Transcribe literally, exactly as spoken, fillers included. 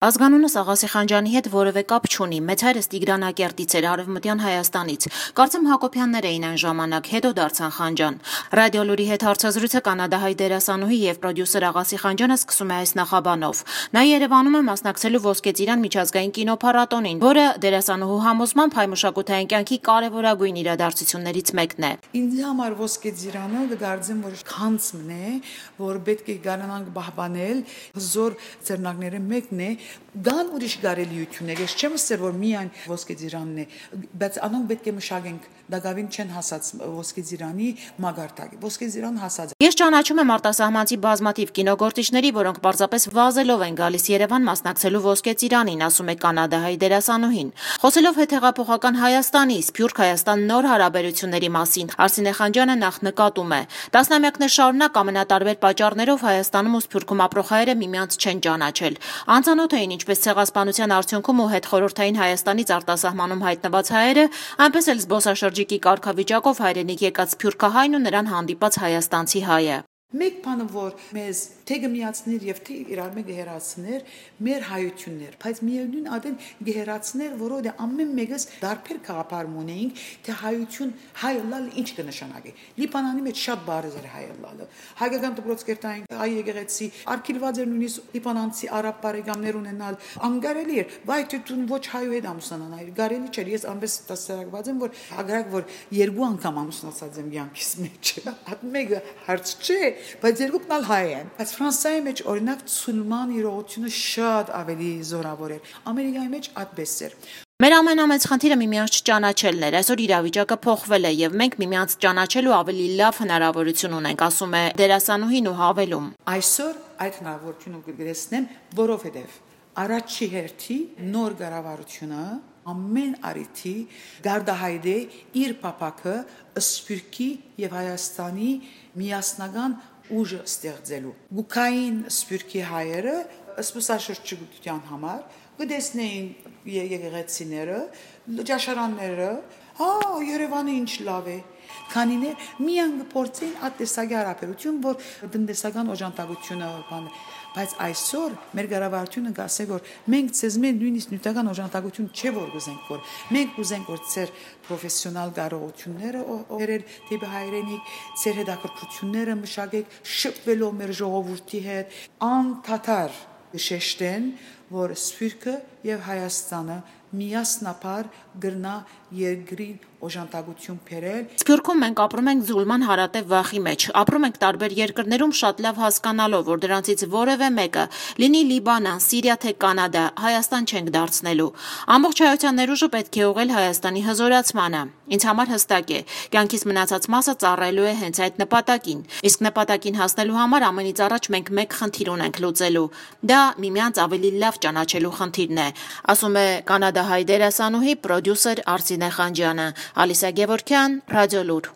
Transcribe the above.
Ազգանունս Աղասի Խանջյանի հետ որևէ կապ չունի, մեծ հայրս Տիգրանակերտից էր, Արևմտյան Հայաստանից, կարծեմ Հակոբյաններ էին այն ժամանակ, հետո դարձան Խանջյան։ Ռադիոլուրի հետ հարցազրույցը կանադահայ դերասանուհի եւ պրոդյուսեր Աղասի Խանջյանը սկսում է այս նախաբանով։ Նա Երևանում է մասնակցելու Ոսկե ծիրան միջազգային կինոփառատոնին, որը դերասանուհու համոզմամբ հայ մշակութային կյանքի կարևորագույն իրադարձություններից մեկն է։ Ինձ համար Ոսկե ծիրանը գարձեմ որ քանցմն է, որ պետք է գանանանք բահբանել, հզոր ծերնակները մեկն է Դան ուրիշ գարելիություններ, ես չեմ ասել, որ միայն Ոսկե ծիրանն է, բայց անոնք պետք է մշակենք, դակավին չեն հասած Ոսկե ծիրանի մագարտակը, Ոսկե ծիրան հասած։ Ես ճանաչում եմ արտասահմանցի բազմաթիվ կինոգործիչների, որոնք պարզապես վազելով են գալիս Երևան մասնակցելու Ոսկե ծիրանին, ասում է կանադահայ դերասանուհին։ Խոսելով հետհեղափոխական Հայաստանի, Սփյուռք Հայաստան նոր հարաբերությունների մասին, Արսինե Խանջյանը նախ նկատում է. Տասնամյակներ շարունակ ամենատարբեր պատճառներով Հայաստանում ու Սփյուռքում ապրող հայերը միմյանց չեն ճանաչել։ Անծանոթ էին ինչպես ցեղասպանության արդյունքում ու հետխորհրդային Հայաստանից արտասահմանում հայտնված հայերը, այնպես էլ զբոսաշրջիկի կարգավիճակով հայրենիք եկած սփյուռքահայն ու նրան հանդիպած հայաստանցի հայը։ Մեկ բանը որ մեզ թե գմիացներ եւ թե իրար մեկ գերացներ մեր հայություններ, բայց միևնույն ադեն գերացներ, որովհետեւ ամեն մեկս դարբեր քաղաքարում ունեինք, թե հայություն հայլալ ինչ կնշանակի։ Լիբանանի մեջ շատ բարձր էր հայլալը։ Հայկական դպրոցկերտային հայ եկեղեցի արկիլված էր նույնիսկ լիբանանցի արաբ բարեկամներ ունենալ, անգարելի էր, բայց դու ոչ հայու հետ ամուսնանալ, գարելի չէր։ Ես ամենս տասարակված եմ, որ ագրակ որ երկու անգամ ամուսնացած եմ յանքիս մեջ։ Այդ մեկը հարց չէ, բայց երկուքն ալ հայ են։ Բայց Ֆրանսիայի մեջ օրինակ ցուլման իրողությունը շատ ավելի զորավոր էր։ Ամերիկայի մեջ այդպես էր։ Մեր ամենամեծ խնդիրը միմյանց չճանաչելն էր։ Այսօր իրավիճակը փոխվել է եւ մենք միմյանց ճանաչելու ավելի լավ հնարավորություն ունենք, ասում է դերասանուհին ու հավելում. Այսօր այդ հնարավորությունը կգրեսնեմ, որովհետեւ առաջի հերթի նոր կառավարությունը ամեն արիթի գարդահայտե իր պապակը Սփյուռքի եւ Հայաստանի միասնական ուժը ստեղծելու։ Գուկային Սփյուռքի հայերը սպասաշրջության համար գտեսնեին եկեղեցիները, ճաշարանները, հա Երևանը ինչ լավ է։ Քանիներ միան գործին ատեսագի հարաբերություն, որ տնտեսական օժանդակությունը բան, բայց այսօր մեր կառավարությունը գասե որ մենք ցեզ մենք նույնիսկ նյութական օժանդակություն չէ որ գուզենք որ մենք գուզենք որ ծեր պրոֆեսիոնալ կարողությունները օրեր դեպի հայրենիք, ծեր հետաքրքրությունները մշակեք շփվելով մեր ժողովրդի հետ, անդադար շեշտեն, որ Սփյուռքը եւ Հայաստանը միասնապար գրնա երկրին օժանդակություն բերել։ Սփյուռքում մենք ապրում ենք զուլման հարատև վախի մեջ, ապրում ենք տարբեր երկրներում շատ լավ հասկանալով, որ դրանցից որևէ մեկը, լինի Լիբանան, Սիրիա թե Կանադա, Հայաստան չենք դարձնելու։ Ամբողջ հայության ներուժը պետք է ուղղել Հայաստանի հզորացմանը։ Ինձ համար հստակ է, կյանքից մնացած մասը ծառայելու է հենց այդ նպատակին։ Իսկ նպատակին հասնելու համար ամենից առաջ մենք մեկ խնդիր ունենք լուծելու։ Դա միմյանց ավելի լավ ճանաչելու խնդիրն է, ասում է կանադահայ դերասանուհի պրոդյուսեր Արսինե Խանջյանը։ Ալիսա Գևորգյան, Ռադիոլուր։